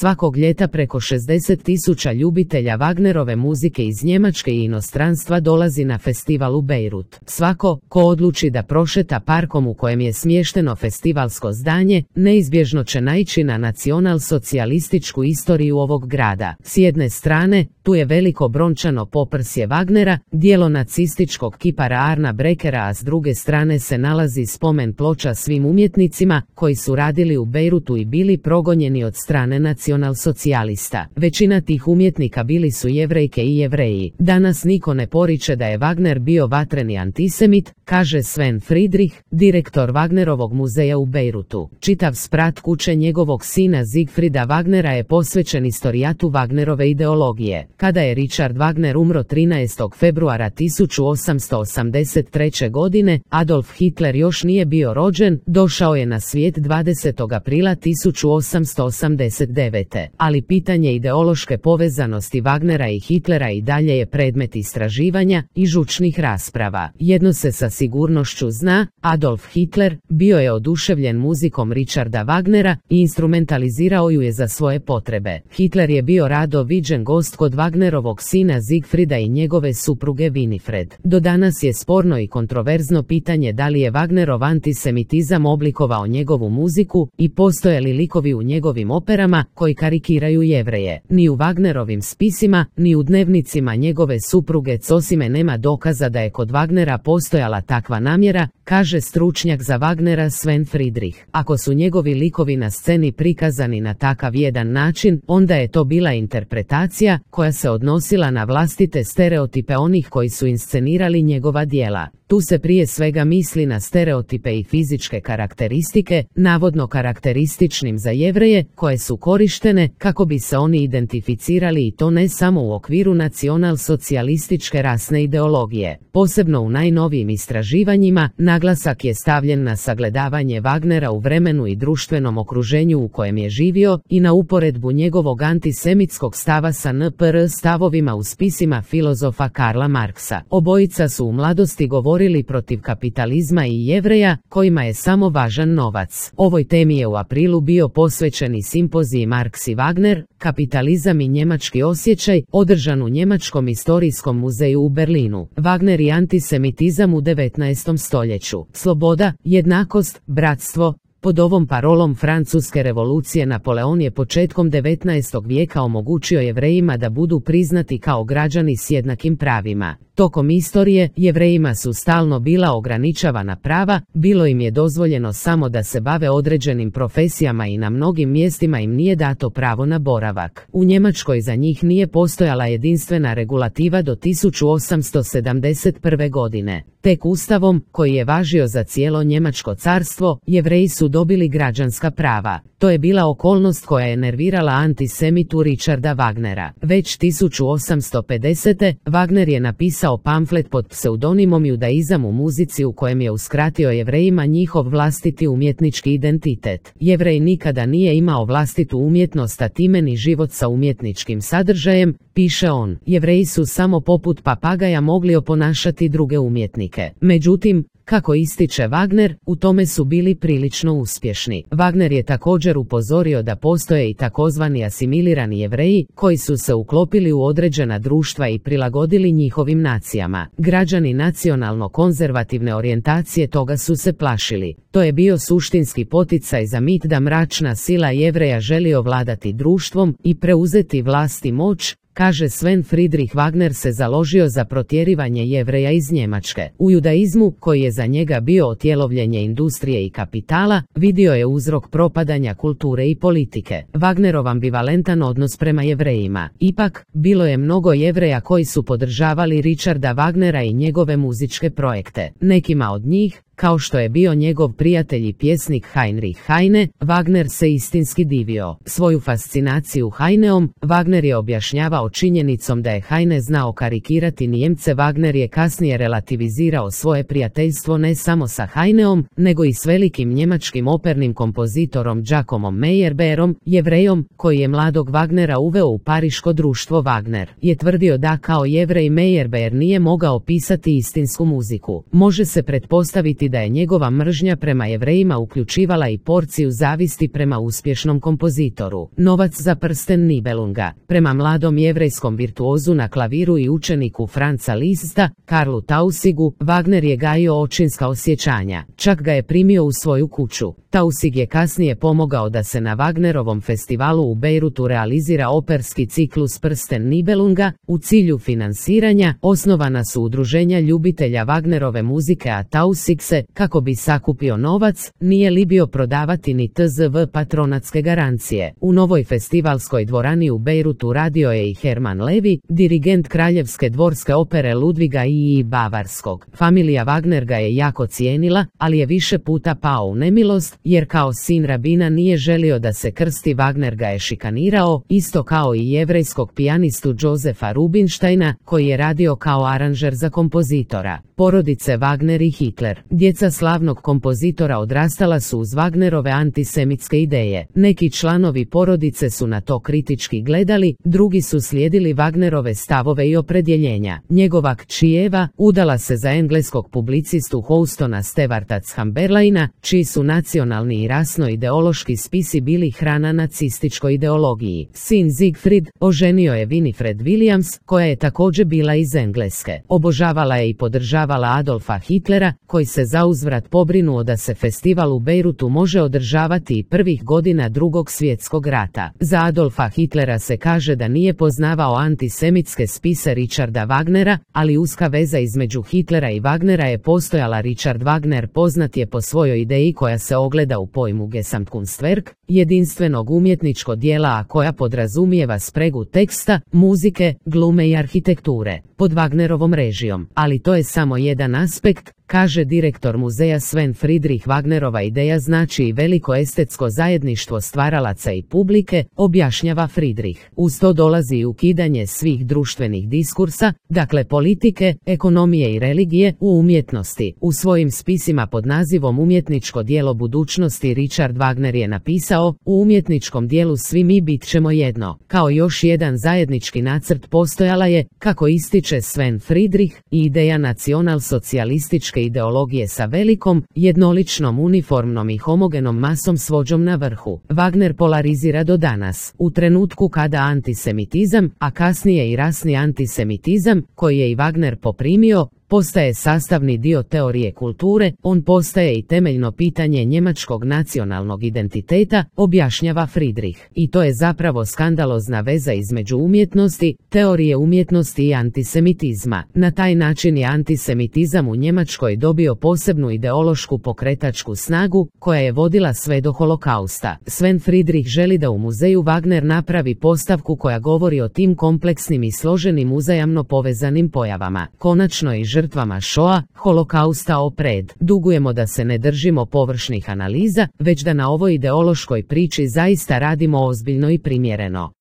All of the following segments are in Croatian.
Svakog ljeta preko 60.000 ljubitelja Wagnerove muzike iz Njemačke i inostranstva dolazi na festival u Beirut. Svako ko odluči da prošeta parkom u kojem je smješteno festivalsko zdanje, neizbježno će naići na nacionalsocijalističku istoriju ovog grada. S jedne strane, tu je veliko brončano poprsje Wagnera, dijelo nacističkog kipara Arna Brekera, a s druge strane se nalazi spomen ploča svim umjetnicima koji su radili u Beirutu i bili progonjeni od strane nacionalsocijalista. Većina tih umjetnika bili su Jevrejke i Jevreji. Danas niko ne poriče da je Wagner bio vatreni antisemit, kaže Sven Friedrich, direktor Wagnerovog muzeja u Beirutu. Čitav sprat kuće njegovog sina Siegfrieda Wagnera je posvećen istorijatu Wagnerove ideologije. Kada je Richard Wagner umro 13. februara 1883. godine, Adolf Hitler još nije bio rođen, došao je na svijet 20. aprila 1889. Ali pitanje ideološke povezanosti Wagnera i Hitlera i dalje je predmet istraživanja i žučnih rasprava. Jedno se sa sigurnošću zna, Adolf Hitler bio je oduševljen muzikom Richarda Wagnera i instrumentalizirao ju je za svoje potrebe. Hitler je bio rado viđen gost kod Wagnerovog sina Siegfrieda i njegove supruge Winifred. Do danas je sporno i kontroverzno pitanje da li je Wagnerov antisemitizam oblikovao njegovu muziku i postoje li likovi u njegovim operama koji karikiraju Jevreje. Ni u Wagnerovim spisima, ni u dnevnicima njegove supruge Cosime nema dokaza da je kod Wagnera postojala takva namjera, kaže stručnjak za Wagnera Sven Friedrich. Ako su njegovi likovi na sceni prikazani na takav jedan način, onda je to bila interpretacija koja se odnosila na vlastite stereotipe onih koji su inscenirali njegova djela. Tu se prije svega misli na stereotipe i fizičke karakteristike, navodno karakterističnim za Jevreje, koje su korištene kako bi se oni identificirali i to ne samo u okviru nacionalsocijalističke rasne ideologije. Posebno u najnovijim istraživanjima, naglasak je stavljen na sagledavanje Wagnera u vremenu i društvenom okruženju u kojem je živio i na uporedbu njegovog antisemitskog stava sa NPR stavovima u spisima filozofa Karla Marksa. Obojica su u mladosti govorili protiv kapitalizma i Jevreja, kojima je samo važan novac. Ovoj temi je u aprilu bio posvećen i simpozij Marks i Wagner, kapitalizam i njemački osjećaj, održan u Njemačkom historijskom muzeju u Berlinu. Wagner i antisemitizam u 19. stoljeću. Sloboda, jednakost, bratstvo. Pod ovom parolom Francuske revolucije Napoleon je početkom 19. vijeka omogućio Jevrejima da budu priznati kao građani s jednakim pravima. Tokom istorije, Jevrejima su stalno bila ograničavana prava, bilo im je dozvoljeno samo da se bave određenim profesijama i na mnogim mjestima im nije dato pravo na boravak. U Njemačkoj za njih nije postojala jedinstvena regulativa do 1871. godine. Tek ustavom, koji je važio za cijelo Njemačko carstvo, Jevreji su dobili građanska prava. To je bila okolnost koja je nervirala antisemitu Richarda Wagnera. Već 1850. Wagner je napisao pamflet pod pseudonimom Judaizam u muzici u kojem je uskratio Jevrejima njihov vlastiti umjetnički identitet. Jevrej nikada nije imao vlastitu umjetnost, a time ni život sa umjetničkim sadržajem, piše on. Jevreji su samo poput papagaja mogli oponašati druge umjetnike. Međutim, kako ističe Wagner, u tome su bili prilično uspješni. Wagner je također upozorio da postoje i takozvani asimilirani Jevreji, koji su se uklopili u određena društva i prilagodili njihovim nacijama. Građani nacionalno-konzervativne orijentacije toga su se plašili. To je bio suštinski poticaj za mit da mračna sila Jevreja želi ovladati društvom i preuzeti vlast i moć, kaže Sven Friedrich. Wagner se založio za protjerivanje Jevreja iz Njemačke. U judaizmu, koji je za njega bio otjelovljenje industrije i kapitala, vidio je uzrok propadanja kulture i politike. Wagnerov ambivalentan odnos prema Jevrejima. Ipak, bilo je mnogo Jevreja koji su podržavali Richarda Wagnera i njegove muzičke projekte. Nekima od njih, kao što je bio njegov prijatelj i pjesnik Heinrich Heine, Wagner se istinski divio. Svoju fascinaciju Heineom, Wagner je objašnjavao činjenicom da je Heine znao karikirati Nijemce. Wagner je kasnije relativizirao svoje prijateljstvo ne samo sa Heineom, nego i s velikim njemačkim opernim kompozitorom Giacomom Meyerbeerom, Jevrejom, koji je mladog Wagnera uveo u pariško društvo. Wagner je tvrdio da kao Jevrej Meyerbeer nije mogao pisati istinsku muziku. Može se pretpostaviti niti da je njegova mržnja prema Jevrejima uključivala i porciju zavisti prema uspješnom kompozitoru. Novac za prsten Nibelunga. Prema mladom jevrejskom virtuozu na klaviru i učeniku Franza Liszta, Karlu Tausigu, Wagner je gajio očinska osjećanja. Čak ga je primio u svoju kuću. Tausig je kasnije pomogao da se na Wagnerovom festivalu u Bejrutu realizira operski ciklus Prsten Nibelunga. U cilju finansiranja osnovana su udruženja ljubitelja Wagnerove muzike, a Tausig se, kako bi sakupio novac, nije libio prodavati ni tzv patronatske garancije. U novoj festivalskoj dvorani u Bejrutu radio je i Herman Levi, dirigent Kraljevske dvorske opere Ludviga i Bavarskog. Familija Wagner ga je jako cijenila, ali je više puta pao u nemilost, jer kao sin rabina nije želio da se krsti. Wagner ga je šikanirao, isto kao i jevrejskog pijanistu Josefa Rubinsteina, koji je radio kao aranžer za kompozitora. Porodice Wagner i Hitler. Djeca slavnog kompozitora odrastala su uz Wagnerove antisemitske ideje. Neki članovi porodice su na to kritički gledali, drugi su slijedili Wagnerove stavove i opredjeljenja. Njegova kći Eva udala se za engleskog publicistu Houstona Stewarta Chamberlaina, čiji su nacionalni i rasno-ideološki spisi bili hrana nacističkoj ideologiji. Sin Siegfried oženio je Winifred Williams, koja je također bila iz Engleske. Obožavala je i podržavala Adolfa Hitlera, koji se zauzvrat pobrinuo da se festival u Bejrutu može održavati i prvih godina Drugog svjetskog rata. Za Adolfa Hitlera se kaže da nije poznavao antisemitske spise Richarda Wagnera, ali uska veza između Hitlera i Wagnera je postojala. Richard Wagner poznat je po svojoj ideji koja se ogleda u pojmu Gesamtkunstwerk, jedinstvenog umjetničkog dijela, a koja podrazumijeva spregu teksta, muzike, glume i arhitekture, pod Wagnerovom režijom. Ali to je samo jedan aspekt, kaže direktor muzeja Sven Friedrich. Wagnerova ideja znači i veliko estetsko zajedništvo stvaralaca i publike, objašnjava Friedrich. Uz to dolazi i ukidanje svih društvenih diskursa, dakle politike, ekonomije i religije, u umjetnosti. U svojim spisima pod nazivom Umjetničko djelo budućnosti Richard Wagner je napisao: u umjetničkom dijelu svi mi bit ćemo jedno. Kao još jedan zajednički nacrt postojala je, kako ističe Sven Friedrich, i ideja nacional-socijalističke ideologije sa velikom, jednoličnom, uniformnom i homogenom masom s vođom na vrhu. Wagner polarizira do danas. U trenutku kada antisemitizam, a kasnije i rasni antisemitizam, koji je i Wagner poprimio, postaje sastavni dio teorije kulture, on postaje i temeljno pitanje njemačkog nacionalnog identiteta, objašnjava Friedrich. I to je zapravo skandalozna veza između umjetnosti, teorije umjetnosti i antisemitizma. Na taj način je antisemitizam u Njemačkoj dobio posebnu ideološku pokretačku snagu, koja je vodila sve do holokausta. Sven Friedrich želi da u muzeju Wagner napravi postavku koja govori o tim kompleksnim i složenim uzajamno povezanim pojavama. Konačno i žrtvama Shoa, holokausta opred. Dugujemo da se ne držimo površnih analiza, već da na ovoj ideološkoj priči zaista radimo ozbiljno i primjereno.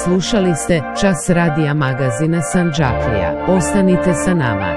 Slušali ste Čas radija magazina Sandžaklija. Ostanite sa nama.